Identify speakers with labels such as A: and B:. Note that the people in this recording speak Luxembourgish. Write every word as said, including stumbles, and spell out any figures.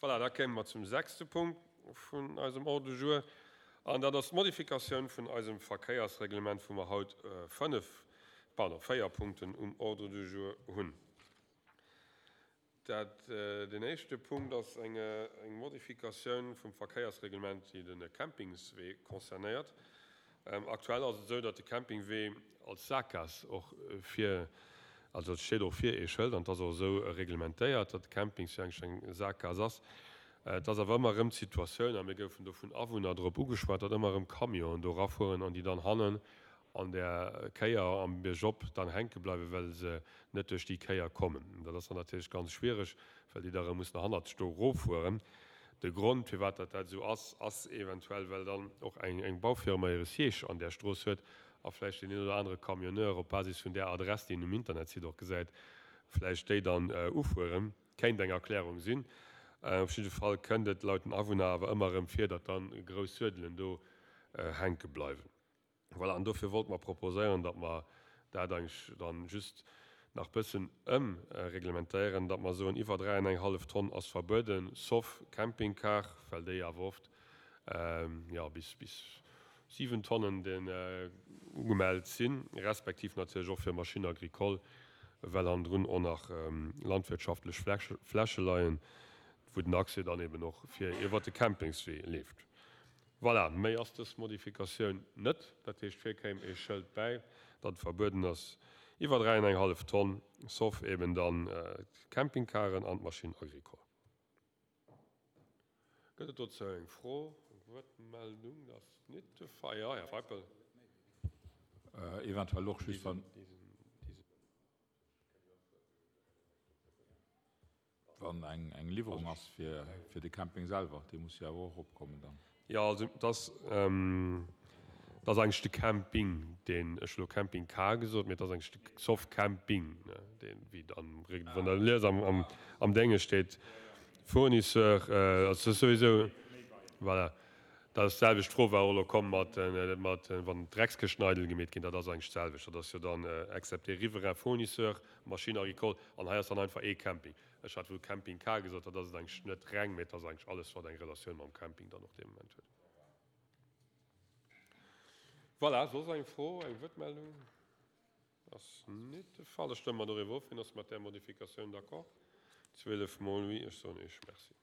A: Voilà, da kéime mer zum sechste Punkt vun eisem Ordre du jour, an dat ass d'Modifikatioun vun eisem Verkéiersreglement, wou mer haut fënnef, pardon, véier Punkten um Ordre du jour hunn. Dat, deen éischte Punkt ass eng, eng Modifikatioun vum Verkéiersreglement, déi de Campingswee concernéiert. Aktuell ass et esou, datt de Campingwee als Saakgaass och fir, also et steet och vir ee Schëld an et ass och esou reglementéiert, datt de Campingswee eigentlech eng Saakgaass ass. Et ass awer ëmmer erëm d'Situatioun, a mir goufen do vun Awunner drop ugeschwat, datt ëmmer erëm Camionen do erafueren an déi dann hannen an där Kéier am Biergop dann hänke bleiwen, well se net duerch déi Kéier kommen. Dat ass dann natierlech ganz schwiereg, well déi da erëm mussen hannertsch do eroffueren. De Grond, firwat dat dat esou ass, ass eventuell, well dann och eng, eng Baufirma hire Siège an där Strooss huet a vläicht deen een oder anere Camionneur op Basis vun där Adress, déi en um Internetsite och gesäit, vläicht déi dann ufueren. Kéint eng Erklärung sinn. Op jidde Fall kënnt et laut den Awunner awer ëmmer erëm vir, datt dann grouss Suedelen do hänke bleiwen. Voilà, an dofir wollte mer proposéieren, datt mer dat eigentlech dann just nach bëssen ëmreglementéieren, datt mer soen, iwwer dräi an eng hallef Tonn ass verbueden, sauf Campingcar, well déi awer oft, jo, bis, bis siwen Tonnen den ugemellt sinn, respektiv natierlech och fir Machines agricoles, well hannendrun och nach landwirtschaftlech Fläche leien, wou den Accès dann eben och fir iwwert de Campingswee leeft. Voilà, méi ass dës Modifikatioun net. Dat heescht, vir kéim ee Schëld bäi, datt et verbueden ass iwwer dräi an eng hallef Tonn, sauf eben dann d'Campingcaren an d'Machine agricole. Gëtt et dozou eng Fro, eng Wuertmeldung? Dat ass net de Fall. Jo, Här Feipel.
B: Eventuell och just wann. Wann eng eng Liwwerung ass fir fir de Camping selwer, déi muss jo awer och eropkommen dann.
A: Jo, also et ass et ass eigentlech de Camping, deen, ech hu lo Camping-Car gesot, mee et ass eigentlech de Soft Camping, ne, deen, wéi am, wann Der liest am am am Dénge steet Fournisseur, also et ass souwisou, voilà. Dat ass d'selwecht Fro war och elo komm mat mat wann d'Dreckskëschten eidel gemeet ginn, dat ass eigentlech d'selwecht. Dat ass jo dann excepté riverain fournisseur, machine agricole an hei ass dann einfach ee Camping. Ech hat wuel Camping-Car gesot, dat ass et eigentlech net reng, mee et ass eigentlech alles wat eng Relatioun mam Camping dann och dee Moment huet. Voilà, soss eng Fro, eng Wuertmeldung? Ass net de Fall. Da stëmme mer doriwwer of. Wien ass mat där Modifikatioun d'accord? Zwielef mol oui. Ech soen Iech Merci.